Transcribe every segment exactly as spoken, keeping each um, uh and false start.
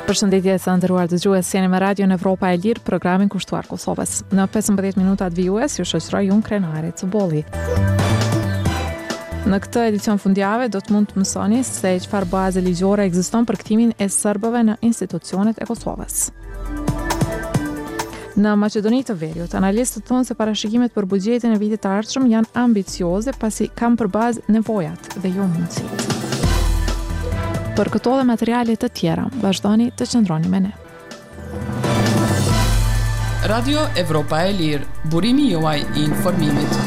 Përshëndetje të nderuar dëgjues, jeni me Radion Evropa e Lirë, programin kushtuar Kosovës. Në pesëmbëdhjetë minutat vijues ju shoqëroj unë Krenare Cubolli. Në këtë edicion fundjave do të mund të mësoni se çfarë baze ligjore ekziston për kthimin e serbëve në institucionet e Kosovës. Në Maqedoni të Veriut, analistët thonë se parashikimet për buxhetin e vitit të ardhshëm janë ambicioze pasi kanë për bazë nevojat dhe jo mundësitë. Për këto dhe materiale të tjera, vazhdoni të qëndroni me ne. Radio Evropa e Lirë, burimi juaj i informimit.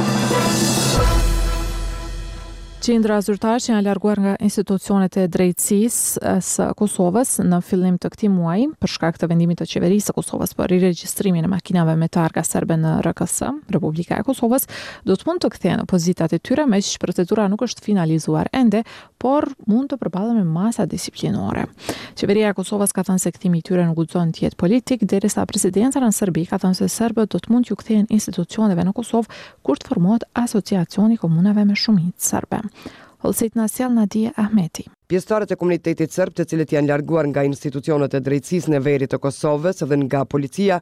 Qindra zyrtarë që janë larguar nga institucionet e drejtësisë së Kosovës në fillim të këtij muaji, për shkak të vendimit të qeverisë së Kosovës për riregjistrimin e makinave me targa serbe në R K S, Republika e Kosovës, do të mund të kthehen në pozitat e tyre, meqë procedura nuk është finalizuar ende, por mund të përballen me masa disiplinore. Qeveria e Kosovës ka thënë se kthimi i tyre nuk guxon të jetë politik, derisa presidenca në Serbi ka thënë se serbët do të mund t'ju kthehen institucioneve në Kosovë kur të formohet asociacioni i komunave me shumicë serbe. Hollësitë na sjell Nadie Ahmeti. Pjesëtarët e komunitetit serb, të cilët janë larguar nga institucionet e drejtësisë në veri të Kosovës dhe nga policia,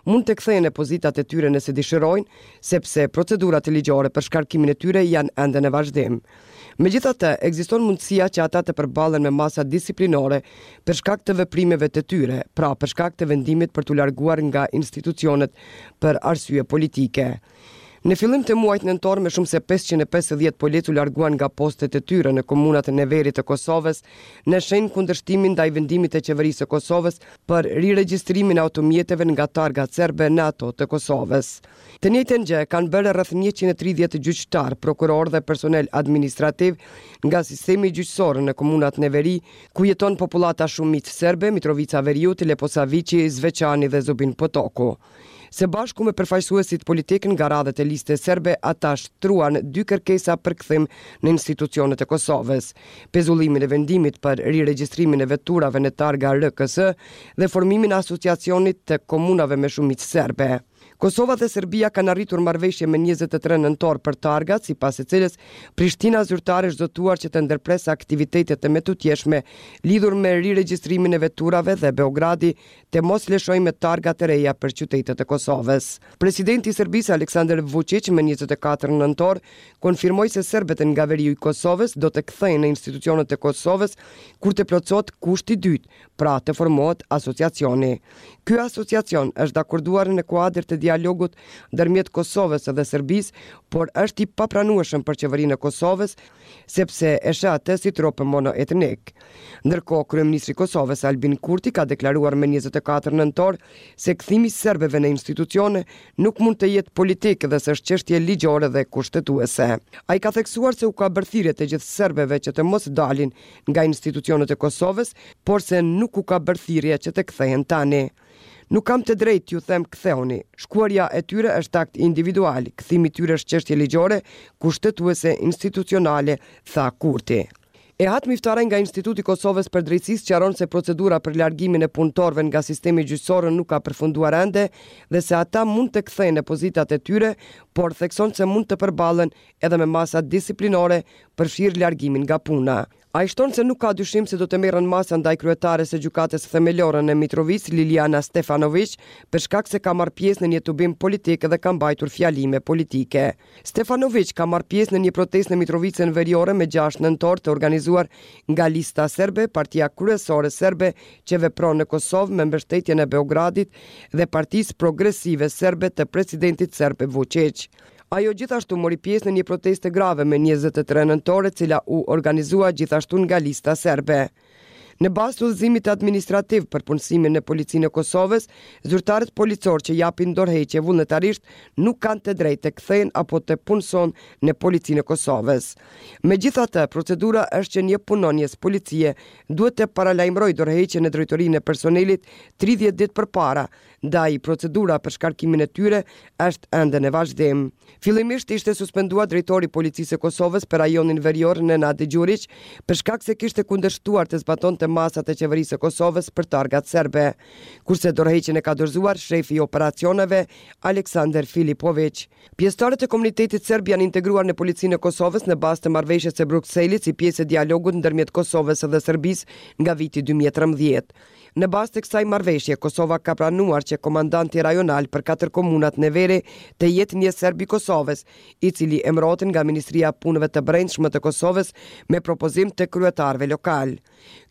mund të kthehen në pozitat e tyre nëse dëshirojnë, sepse procedurat ligjore për shkarkimin e tyre janë ende në vazhdim. Megjithatë, ekziston mundësia që ata të përballen me masa disiplinore për shkak të veprimeve të tyre, pra për shkak të vendimit për t'u larguar nga institucionet për arsye politike. Në fillim të muajit nëntor, me shumë se pesëqind e pesëdhjetë policë u larguan nga postet e tyre në komunat në veri të Kosovës, në shenjë kundërshtimi ndaj vendimit të qeverisë së Kosovës për riregjistrimin e automjeteve nga targat serbe në ato të Kosovës. Të njëjtën gjë kanë bërë rreth njëqind e tridhjetë gjyqtar, prokuror dhe personel administrativ nga sistemi gjyqësor në komunat në veri, ku jeton popullata shumicë serbe, Mitrovica Veriut, Leposaviqi, Zveçani dhe Zubin Potoku. Se bashku me përfaqësuesit politik nga radhët e listës serbe, ata shtruan dy kërkesa për kthim në institucionet e Kosovës: pezullimin e vendimit për riregjistrimin e veturave në targa R K S dhe formimin e asociacionit të komunave me shumicë serbe. Kosova dhe Serbia kanë arritur marrëveshje me njëzet e tre nëntor për targat, sipas së cilës Prishtina zyrtare është zotuar që të ndërpresë aktivitetet e mëtutjeshme lidhur me riregjistrimin e veturave dhe Beogradi të mos lëshojë me targa të reja për qytetet e Kosovës. Presidenti i Serbisë, Aleksandar Vučić, më njëzet e katër nëntor konfirmoi se serbët nga veriu i Kosovës do të kthehen në institucionet e Kosovës kur të plotësohet kushti i dytë, pra të formohet asociacioni. Ky asociacion është dakorduar në kuadër të dialogut ndërmjet Kosovës dhe Serbisë, por është i papranueshëm për qeverinë e Kosovës, sepse e sheh atë si tropë monoetnik. Ndërkohë, kryeministri i Kosovës, Albin Kurti, ka deklaruar me njëzet e katër nëntor se kthimi i serbëve në institucione nuk mund të jetë politik dhe se është çështje ligjore dhe kushtetuese. Ai ka theksuar se u ka bërë thirrje të gjithë serbëve që të mos dalin nga institucionet e Kosovës, por se nuk u ka bërë thirrje që të kthehen tani. "Nuk kam të drejtë t'ju them kthehuni. Shkuarja e tyre është akt individual, kthimi i tyre është çështje ligjore, kushtetuese, institucionale", tha Kurti. Ehat Miftaraj nga Instituti i Kosovës për Drejtësi sqaron se procedura për largimin e punëtorëve nga sistemi gjyqësor nuk ka përfunduar ende dhe se ata mund të kthehen në pozitat e tyre, por thekson se mund të përballen edhe me masa disiplinore, përfshirë largimin nga puna. Ai shton se nuk ka dyshim se do të merren masa ndaj kryetares së Gjykatës Themelore në Mitrovicë, Liliana Stefanoviq, për shkak se ka marrë pjesë në një tubim politik dhe ka mbajtur fjalime politike. Stefanoviq ka marrë pjesë në një protestë në Mitrovicën Veriore me gjashtë nëntor, të organizuar nga Lista Serbe, partia kryesore serbe që vepron në Kosovë me mbështetjen e Beogradit dhe Partisë Progresive Serbe të presidentit serb Vučić. Ajo gjithashtu mori pjesë në një protestë të grave me njëzet e tre nëntor, e cila u organizua gjithashtu nga Lista Serbe. Në bazë të udhëzimit administrativ për punësimin në Policinë e Kosovës, zyrtarët policor që japin dorëheqje vullnetarisht nuk kanë të drejtë të kthehen apo të punësohen në Policinë e Kosovës. Megjithatë, procedura është që një punonjës policie duhet të paralajmërojë dorëheqjen në drejtorinë e personelit tridhjetë ditë përpara, ndaj procedura për shkarkimin e tyre është ende në vazhdim. Fillimisht ishte suspenduar drejtori i Policisë së Kosovës për rajonin verior, Nenad Gjuriq, për shkak se kishte kundërshtuar të zbatonte masat e qeverisë së Kosovës për targat serbe, kurse dorëheqjen e ka dorëzuar shefi i operacioneve, Aleksandar Filipoviq. Pjesëtarët e komunitetit serb janë integruar në Policinë e Kosovës në bazë të marrëveshjes së Brukselit, si pjesë e dialogut ndërmjet Kosovës dhe Serbisë nga viti dy mijë e trembëdhjetë. Në bazë të kësaj marrëveshje, Kosova ka pranuar që komandanti rajonal për katër komunat në veri të jetë një serb i Kosovës, i cili emërohet nga Ministria e Punëve të Brendshme të Kosovës me propozim të kryetarëve lokal.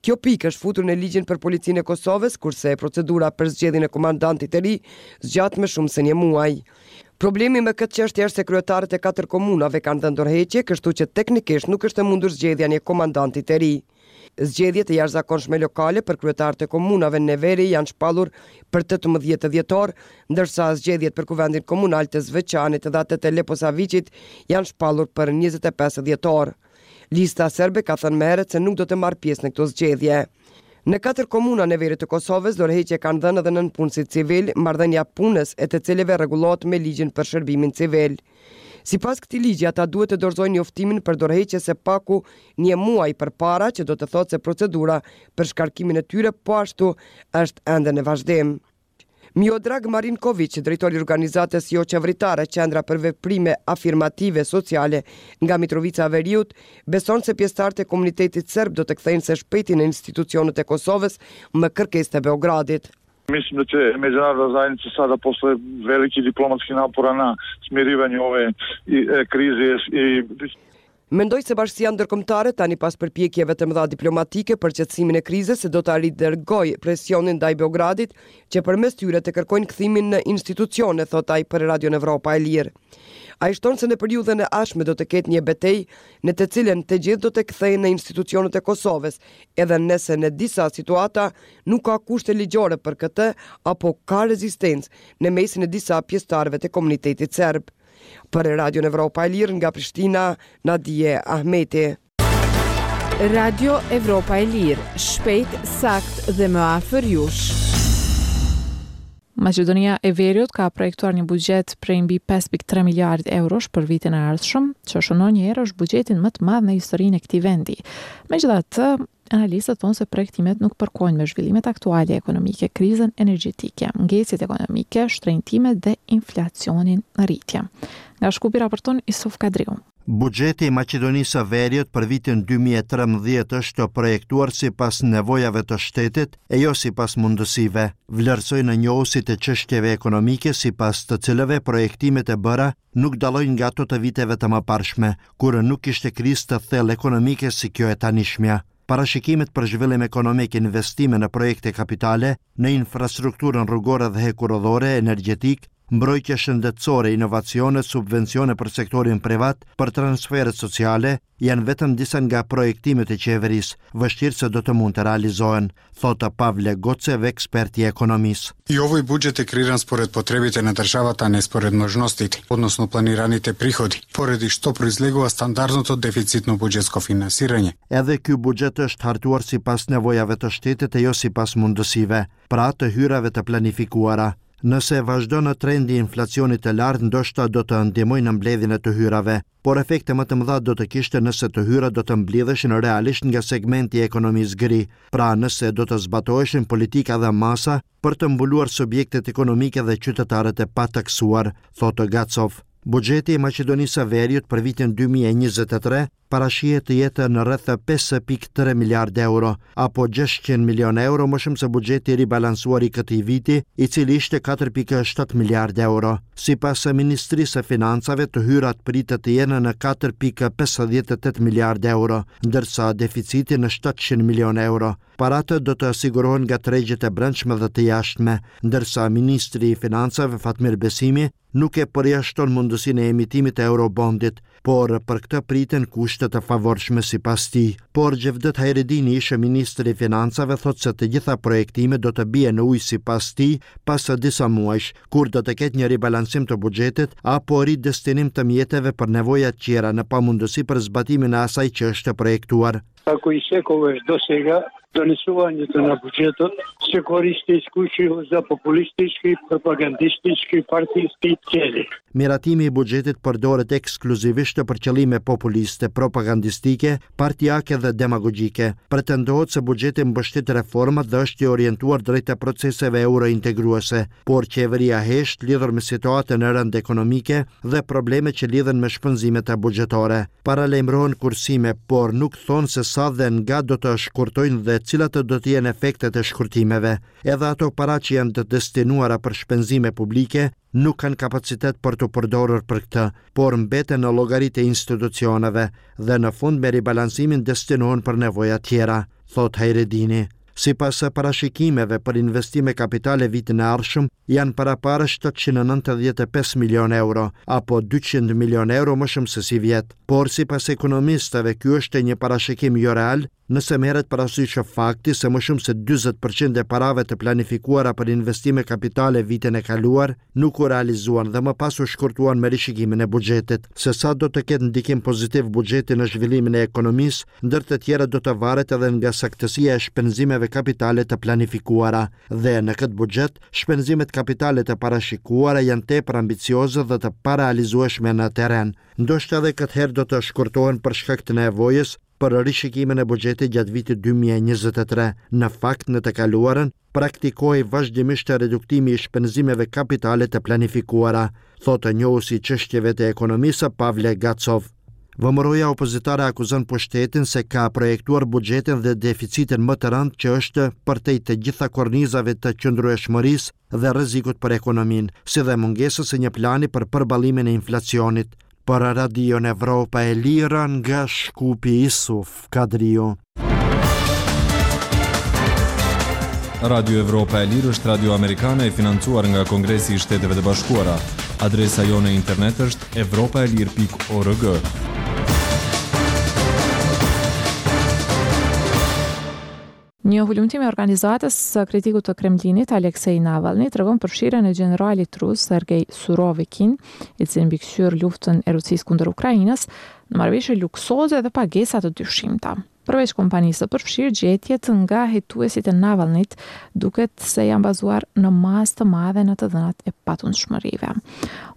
Kjo pikë është futur në ligjin për policinë e Kosovës, kurse procedura për zgjedhjen e komandantit të ri zgjat më shumë se një muaj. Problemi me këtë çështje është se kryetarët e katër komunave kanë dhënë dorëheqje, kështu që teknikisht nuk është e mundur zgjedhja e një komandanti të ri. Zgjedhjet e jashtëzakonshme lokale për kryetarët e komunave në veri janë shpallur për tetëmbëdhjetë dhjetor, ndërsa zgjedhjet për kuvendin komunal të Zveçanit dhe atë të Leposaviqit janë shpallur për njëzet e pesë dhjetor. Lista serbe ka thënë më herët se nuk do të marrë pjesë në këto zgjedhje. Në katër komuna në veri të Kosovës, dorëheqje kanë dhënë edhe nënpunësit civil, marrëdhënia punës e të cilëve rregullohet me ligjin për shërbimin civil. Sipas këtij ligji, ata duhet të dorëzojnë njoftimin për dorëheqje së paku një muaj përpara, që do të thotë se procedura për shkarkimin e tyre po ashtu është ende në vazhdim. Miodrag Marinković, drejtori i organizatës jo-qeveritare Qendra për Veprime Afirmative Sociale nga Mitrovica e Veriut, beson se pjesëtarët e komunitetit serb do të kthehen së shpejti në institucionet e Kosovës me kërkesë të Beogradit. Mislim da će međunarodna zajednica sada posle velikih diplomatskih napora na smirivanju ove krize i Mendoj se bashkësia ndërkombëtare tani pas përpjekjeve të mëdha diplomatike për qetësimin e krizës se do ta ridërgojë presionin ndaj Beogradit që përmes tyre të kërkojnë kthimin në institucione, thot ai për Radion Evropa e Lirë. Ai shton se në periudhën e ardhshme do të ketë një betejë në të cilën të gjithë do të kthehen në institucionet e Kosovës, edhe nëse në disa situata nuk ka kushte ligjore për këtë apo ka rezistencë në mesin e disa pjesëtarëve të komunitetit serb. Për Radion Evropa e Lirë nga Prishtina, Nadie Ahmeti. Radio Evropa e Lirë, shpejt, sakt dhe më afër jush. Maqedonia e Veriut ka projektuar një buxhet prej mbi pesë pikë tre miliard eurosh për vitin e ardhshëm, që shënon një herë është buxhetin më të madh në historinë e këtij vendi. Megjithatë, analistët thonë se projektimet nuk përkojnë me zhvillimet aktuale ekonomike, krizën energjetike, ngecjet ekonomike, shtrenjtimet dhe inflacionin në rritje. Nga Shkupi raporton Isuf Kadriu. Buxheti i Maqedonisë së Veriut për vitin dy mijë e trembëdhjetë është projektuar sipas nevojave të shtetit e jo sipas mundësive, vlerësojnë njohësit e çështjeve ekonomike sipas të cilëve projektimet e bëra nuk dallojnë nga ato të viteve të mëparshme, kur nuk kishte krizë të thellë ekonomike si kjo e tanishmja. Parashikimet për zhvillim ekonomik, investime në projekte kapitale, në infrastrukturën rrugore dhe hekurudhore, energjetik, mbrojtje shëndetësore, inovacione, subvencione për sektorin privat, për transferet sociale, janë vetëm disa nga projektimet e qeverisë, vështirë se do të mund të realizohen, thotë Pavle Gocev, ekspert i ekonomisë. И овој буџет е креиран според потребите на државата, а не според можностите, односно планираните приходи, поради што произлегува стандардното дефицитно буџетско финансирање. Edhe ky buxhet është hartuar sipas nevojave të shtetit e jo sipas mundësive, pra të hyrave të planifikuara. Nëse vazhdon në trendi i inflacionit të lartë, ndoshta do të ndihmojë në mbledhjen e të hyrave, por efekte më të mëdha do të kishte nëse të hyrat do të mblidheshin realisht nga segmenti i ekonomisë gri, pra nëse do të zbatoheshin politika dhe masa për të mbuluar subjektet ekonomike dhe qytetarët e pataksuar, thotë Gacov. Buxheti i Maqedonisë së Veriut për vitin dy mijë e njëzet e tre parashihet të jetë në rreth pesë pikë tre miliard euro, apo gjashtëqind milion euro më shumë se buxheti i ribalancuar i këtij viti, i cili ishte katër pikë shtatë miliard euro. Sipas Ministrisë së Financave, të hyrat pritet të jenë në katër pikë pesëdhjetë e tetë miliard euro, ndërsa deficiti në shtatëqind milion euro. Paratë do të sigurohen nga tregjet e brendshme dhe të jashtme, ndërsa Ministri i Financave Fatmir Besimi nuk e përjashton mundësinë e emitimit të eurobondit, por për këtë priten kushte të favorshme sipas tij. Por Xhevdet Hajredini, ish ministri i Financave, thotë se të gjitha projektimet do të bien në ujë sipas tij pas disa muajsh, kur do të ketë një ribalancim të buxhetit apo ridestinim të mjeteve për nevoja tjera në pamundësi për zbatimin e asaj që është projektuar. Како и секогаш до сега, донесувањето на буџетот се користи исклучиво за популистички, пропагандистички, партиски цели. Miratimi i buxhetit përdoret ekskluzivisht për qëllime populiste, propagandistike, partiake dhe demagogjike. Pretendohet se buxheti mbështet reformat dhe është i orientuar drejt proceseve eurointegruese, por qeveria hesht lidhur me situatën e rëndë ekonomike dhe problemet që lidhen me shpenzimet e buxhetore. Paralajmërohen kursime, por nuk thonë se sa dhe nga do të shkurtojnë dhe Atëherë, cilat do të jenë efektet e shkurtimeve? Edhe ato para që janë të destinuara për shpenzime publike nuk kanë kapacitet për të përdorur për këtë, por mbeten në llogaritë e institucioneve dhe në fund me ribalancimin destinohen për nevoja tjera, thotë Hajredini. Sipas parashikimeve për investime kapitale vitin e ardhshëm, janë paraparë shtatëqind e nëntëdhjetë e pesë milionë euro, apo dyqind milionë euro më shumë se sivjet. Por sipas ekonomistëve, ky është një parashikim jo real, nëse merret parasysh fakti se më shumë se dyzet përqind e parave të planifikuara për investime kapitale vitin e kaluar nuk u realizuan dhe më pas u shkurtuan me rishikimin e buxhetit. Se sa do të ketë ndikim pozitiv buxheti në zhvillimin e ekonomisë, ndër të tjera do të varet edhe nga saktësia e shpenzimeve kapitale të planifikuara. Dhe në këtë buxhet, shpenzimet kapitale të parashikuara janë tepër ambicioze dhe të parealizueshme në terren. Ndoshta edhe këtë herë do të shkurtohen për shkak të nevojës për rishikimin e buxhetit gjatë vitit dy mijë e njëzet e tre. Në fakt, në të kaluarën, praktikohej vazhdimisht reduktimi i shpenzimeve kapitale të planifikuara, thotë njohësi i çështjeve të ekonomisë Pavle Gacov. V M R O-ja opozitare akuzon pushtetin se ka projektuar buxhetin dhe deficitin më të rëndë që është përtej të gjitha kornizave të qëndrueshmërisë dhe rrezikut për ekonominë, si dhe mungesës së një plani për përballimin e inflacionit. Për Radion Evropa e Lirë nga Shkupi, Isuf Kadriu. Radio Evropa e Lirë është radio amerikane e financuar nga Kongresi i Shteteve të Bashkuara. Adresa jonë e internet është evropa e lirë pikë org. Një hulumtim i organizatës së kritikut të Kremlinit, Alexei Navalny, tregon përfshirjen e gjeneralit rus Sergei Surovikin, i cili mbikëqyr luftën e Rusisë kundër Ukrainës, në marrëveshje luksoze dhe pagesa të dyshimta. Përveç kompanisë së përfshirë, gjetjet nga hetuesit e Navalnyt duket se janë bazuar në masë të madhe në të dhënat e patundshmërive.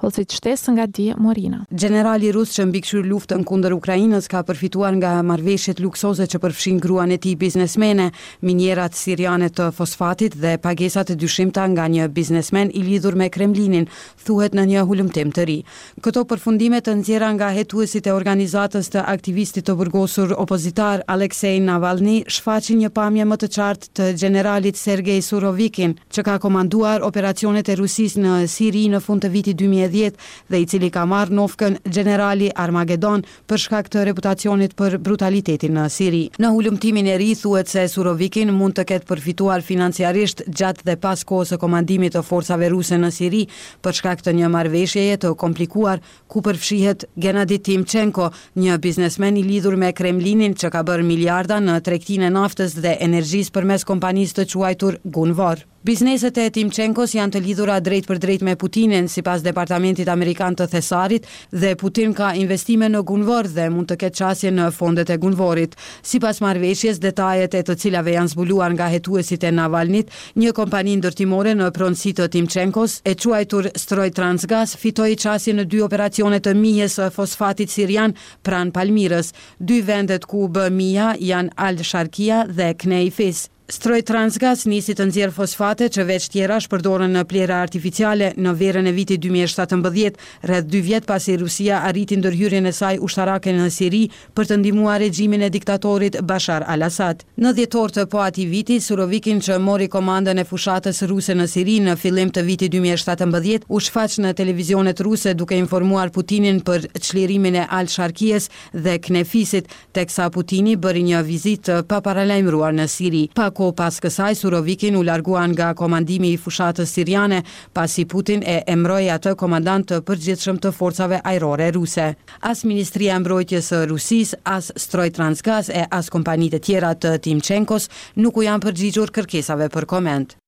Hollësitë shtesë nga Die Morina. Gjenerali rus që mbikëqyr luftën kundër Ukrainës ka përfituar nga marrëveshjet luksoze që përfshin gruan e tij biznesmene, minierat siriane të fosfatit dhe pagesat e dyshimta nga një biznesmen i lidhur me Kremlinin, thuhet në një hulumtim të ri. Këto përfundime të nxjerra nga hetuesit e organizatës të aktivistit të burgosur opozitar Alexei Navalny shfaqin një pamje më të qartë të gjeneralit Sergei Surovikin, që ka komanduar operacionet e Rusisë në Siri në fund të vitit dy mijë e dhjetë dhe i cili ka marrë nofkën Gjenerali Armageddon për shkak të reputacionit për brutalitetin në Siri. Në hulumtimin e ri thuhet se Surovikin mund të ketë përfituar financiarisht gjatë dhe pas kohës së komandimit të forcave ruse në Siri për shkak të një marrëveshjeje të komplikuar ku përfshihet Gennady Timchenko, një biznesmen i lidhur me Kremlinin që ka bërë miliarda në tregtinë e naftës dhe energjisë përmes kompanisë të quajtur Gunvor. Bizneset e Timchenkos janë të lidhura drejt për drejt me Putinin, sipas Departamentit Amerikan të Thesarit, dhe Putin ka investime në Gunvor dhe mund të ketë qasje në fondet e Gunvorit. Sipas marrëveshjes, detajet e të cilave janë zbuluar nga hetuesit e Navalnit, një kompani ndërtimore në pronësi të Timchenkos, e quajtur Stroj Transgas, fitoi qasje në dy operacione të mijes së fosfatit sirian pranë Palmirës. Dy vendet ku u bë mija janë Al-Sharkia dhe Knejfis. Stroj Transgas nisi të nxjerr fosfate që veç tjerash përdoren në plera artificiale në verën e vitit dy mijë e shtatëmbëdhjetë, rreth dy vjet pasi Rusia arriti ndërhyrjen e saj ushtarake në Siri për të ndihmuar regjimin e diktatorit Bashar al-Assad. Në dhjetor të po atij viti, Surovikin, që mori komandën e fushatës ruse në Siri në fillim të vitit dy mijë e shtatëmbëdhjetë, u shfaq në televizionet ruse duke informuar Putinin për çlirimin e Al-Sharkies dhe Knefisit, teksa Putini bëri një vizitë të paparalajmëruar në Siri. Pak kohë pas kësaj, Surovikin u largua nga komandimi i fushatës siriane, pasi Putin e emëroi atë komandant të përgjithshëm të forcave ajrore ruse. As Ministria e Mbrojtjes së Rusisë, as Stroj Transgas e as kompanitë e tjera të Timchenkos nuk u janë përgjigjur kërkesave për koment.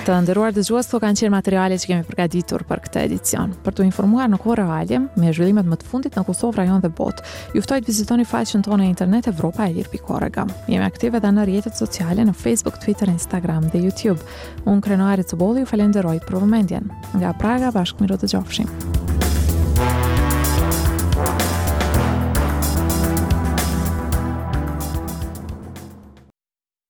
Të nderuar dëgjues, këto kanë qenë materiale që kemi përgatitur për këtë edicion. Për t'u informuar në kohë reale me zhvillimet më të fundit në Kosovë, rajon dhe botë, ju ftoj të vizitoni faqen tonë në internet evropa e lirë pikë org. Jemi aktive edhe në rrjetet sociale në Facebook, Twitter, Instagram dhe YouTube. Unë Krenare Cubolli ju falenderoj për vëmendjen. Nga Praga, bashkë mirë u dëgjofshim.